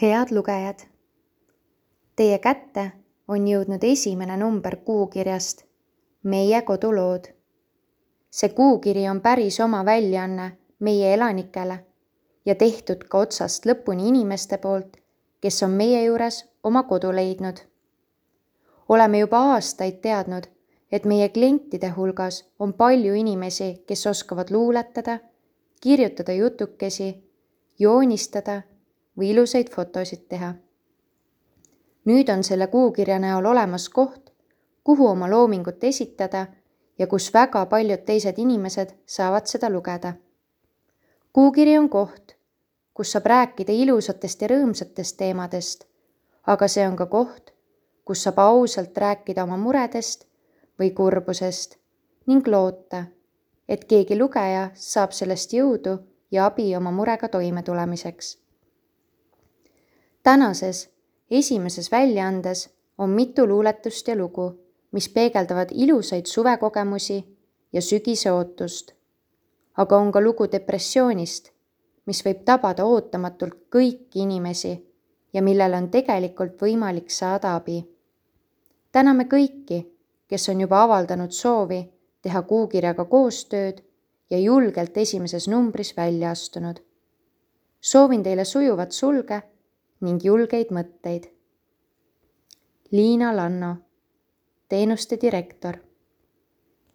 Head lugejad! Teie kätte on jõudnud esimene number kuukirjast Meie kodulood. See kuukiri on päris oma väljaanne meie elanikele ja tehtud ka otsast lõpuni inimeste poolt, kes on meie juures oma kodu leidnud. Oleme juba aastaid teadnud, et meie klientide hulgas on palju inimesi, kes oskavad luuletada, kirjutada jutukesi, joonistada või ilusaid fotosid teha. Nüüd on selle kuukirja näol olemas koht, kuhu oma loomingut esitada ja kus väga paljud teised inimesed saavad seda lugeda. Kuukiri on koht, kus saab rääkida ilusatest ja rõõmsatest teemadest, aga see on ka koht, kus saab ausalt rääkida oma muredest või kurbusest ning loota, et keegi lugeja saab sellest jõudu ja abi oma murega toimetulemiseks. Tänases esimeses väljaandes on mitu luuletust ja lugu, mis peegeldavad ilusaid suvekogemusi ja sügise ootust. Aga on ka lugu depressioonist, mis võib tabada ootamatult kõiki inimesi ja millele on tegelikult võimalik saada abi. Täname kõiki, kes on juba avaldanud soovi teha kuukirjaga koostööd ja julgelt esimeses numbris välja astunud. Soovin teile sujuvat sulge ning julgeid mõtteid. Liina Lanno, teenuste direktor.